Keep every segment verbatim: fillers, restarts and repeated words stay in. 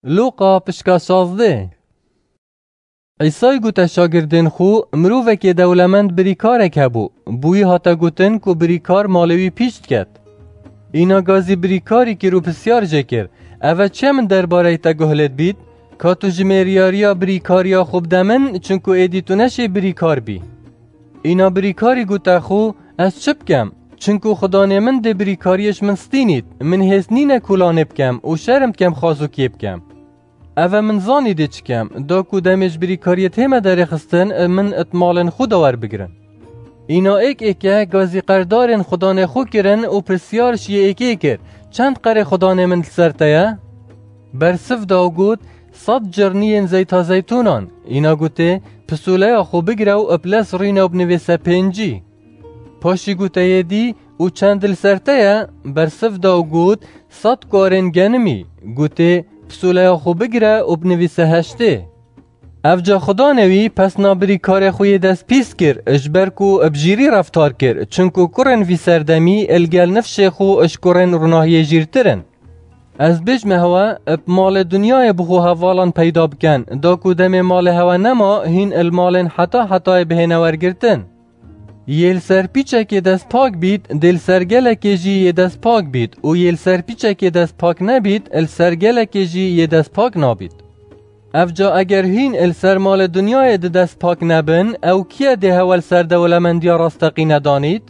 Lûqa pişka şazdeh. Îsay gote şagirdên xwe, mirovekê dewlemend birîkarek hebû. Bi wî hate gotin ku birîkar malê wî pîç diket. Îna gazî birîkarî kir û pisyar jê kir, Eve çi ye min derbareyî te guh lê dibît? Ka tu ji mêriyariya birîkariya xwe bide min, çinku êdî tu neşê birîkar bî. Îna birîkarî gote xwe, Ez çi bikem? Çinku xudanê min dê birîkariyê ji min stînît, min hêst nîne ku lanê bikem û şerm dikem xazûkiyê bikem. Eve min zanî dê çi kem, da ku demê ji birîkariyê tême derêxistin, min it malên xwe de werbigirin. Îna êk êke gazî qerdarên xudanê xwe kirin û pisyar ji yê êkê kir, Çend qerê xudanê min li ser te ye? Bersiv da û got, Sed cirniyên zeyta zeytûnan. Îna gotê, Pisûleya xwe bigire û bi lez rûne û binivîse pêncî. Paşî gote yê dî, Û çend li ser te ye? Bersiv da û got, Sed kuarên genimî. Gotê, Pisûleya xwe bigire û binivîse heştê. Evca xudanê wî pesna birîkarê xwe yê dest pîs kir, ji ber ku bi jîrî reftar kir, çinku kurên vî serdemî li gel nifşê xwe ji kurên rûnahiyê jîrtir in. Ez bêjme hewe, bi malê dinyayê bi xwe hevalan peyda biken, da ku demê malê hewe nema, hîn li malên heta hetayê bihêne wergirtin. Yê li ser pîçekê dest pak bît, dê li ser gelekê jî yê dest pak bît û yê li ser pîçekê dest pak nebît, li ser gelekê jî yê dest pak nabît. Evca eger hîn li ser malê dinyayê di dest pak nebin, ew kî ye dê hewe li ser dewlemendiya rasteqîne danît?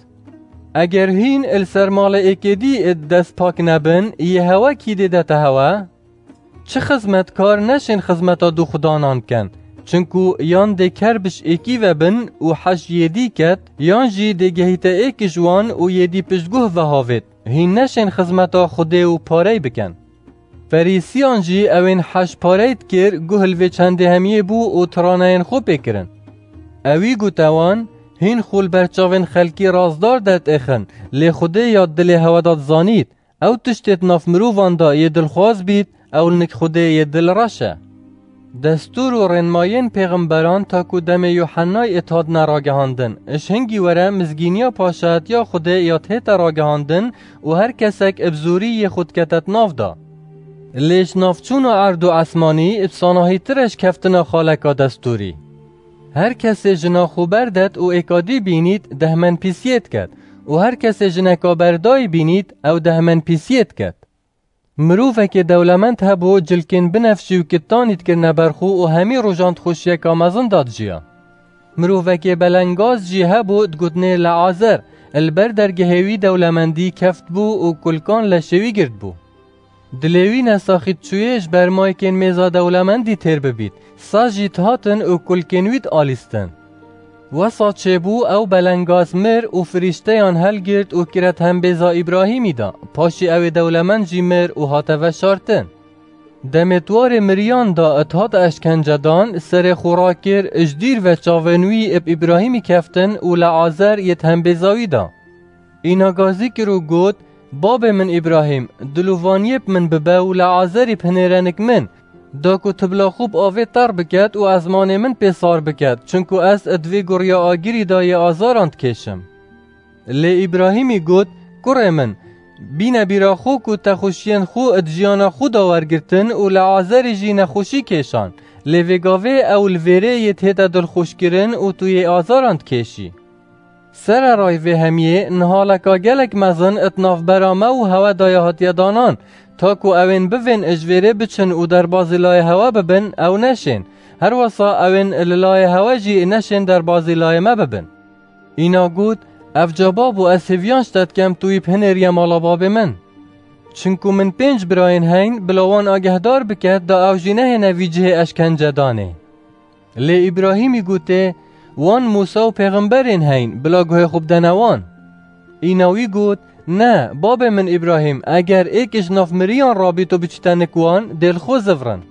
Eger hîn li ser malê êkê dî di dest pak nebin, yê hewe kî dê dete hewe? Çi xizmetkar neşên xizmeta du xudanan biken, çinku yan dê ker bi ji êkî ve bin û heş yê dî ket, yan jî dê gehîte êk ji wan û yê dî piştguh ve havêt, hîn neşên xizmeta Xwedê û parey biken. Ferîsiyan jî ewên heş parey dikir, guh li vê çendê hemiyê bû û tiraneyên xwe pê kirin. Ewî gote wan, Hîn xwe li ber çavên xelkî razdar de têxin, lê Xwedê ya dilê hewe de dizanît. Ew tiştê di nav mirovan de yê dilxwaz bît, ew li nik Xwedê yê dilreş e. Destûr û rênmayên pêxemberan ta ku demê Yuhennay êt hatine ragihandin, ji hingî were mizgîniya paşayetiya Xwedê ya tête ragihandin û her kesek bi zorî yê xwe dikete di nav de. Lê ji navçûna erd û esmanî bi sanahîtir e ji keftina xaleka destûrî. Her kesê jina xwe berdet û êka dî bînît, dehmenpîsiyê diket û her kesê jineka berdayî bînît, ew dehmenpîsiyê diket. Mirovekê dewlemend hebû, cilkên binefşî û kittanî dikirine ber xwe û hemî rojan di xweşiyeka mezin de dijiya. Mirovekê belengaz jî hebû, digotinê Leazer, li ber dergehê wî dewlemendî keftbû û kulkan leşê wî girtbû. Dilê wî nesaxî diçûyê ji ber mayikên mêza dewlemendî têr bibît, saz jî dihatin û kulkên wî dialîstin. Wesa çêbû, ew belengaz mir û firîşteyan helgirt û kire di hembêza Îbrahîmî de, paşî ew ê dewlemend jî mir û hate veşartin. Demê di warê miriyan de dihat eşkencedan, serê xwe rakir, ji dîr ve çavên wî bi Îbrahîmî keftin û Leazer yê di hembêza wî de. Îna gazî kir û got, Babê min Îbrahîm, dilovaniyê bi min bibe û Leazerî bihênêre nik min, da ku tibla xwe bi avê ter biket û ezmanê min pê sar biket, çinku ez di vê guriya agirî de yê azaran dikêşim. Lê Îbrahîmî got, Kurê min, bîne bîra xwe ku te xweşiyên xwe di jiyana xwe de wergirtin û Leazerî jî nexweşî kêşan, lê vê gavê ew li vêrê yê tête dilxweşkirin û tu yê azaran dikêşî. Sererayî vê hemiyê nihaleka gelek mezin di navbera me û hewe de ya hatiye danan, ta ku ewên bivên ji vêrê biçin û derbazî layê hewe bibin, ew neşên. Her wesa ewên li layê hewe jî neşên derbazî layê me bibin. Îna got, Evca babo, ez hêviyan ji te dikem tu wî bihênêriye mala babê min. Çinku min pênc birayên heyn, bila wan agehdar bike, da ew jî nehêne vî cihê eşkencedanê. Lê Îbrahîmî gotê, Wan Mûsa û pêxemberên heyn, bila guhê xwe bidene wan. Îna wî got, Ne, babê min Îbrahîm, eger êk ji nav miriyan rabît û biçîte nik wan, dê li xwe zivrin.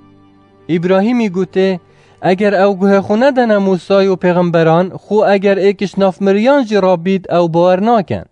Îbrahîmî gotê, Eger ew guhê xwe nedene Mûsayî û pêxemberan, xwe eger êk ji nav miriyan jî rabît, ew bawer nakin.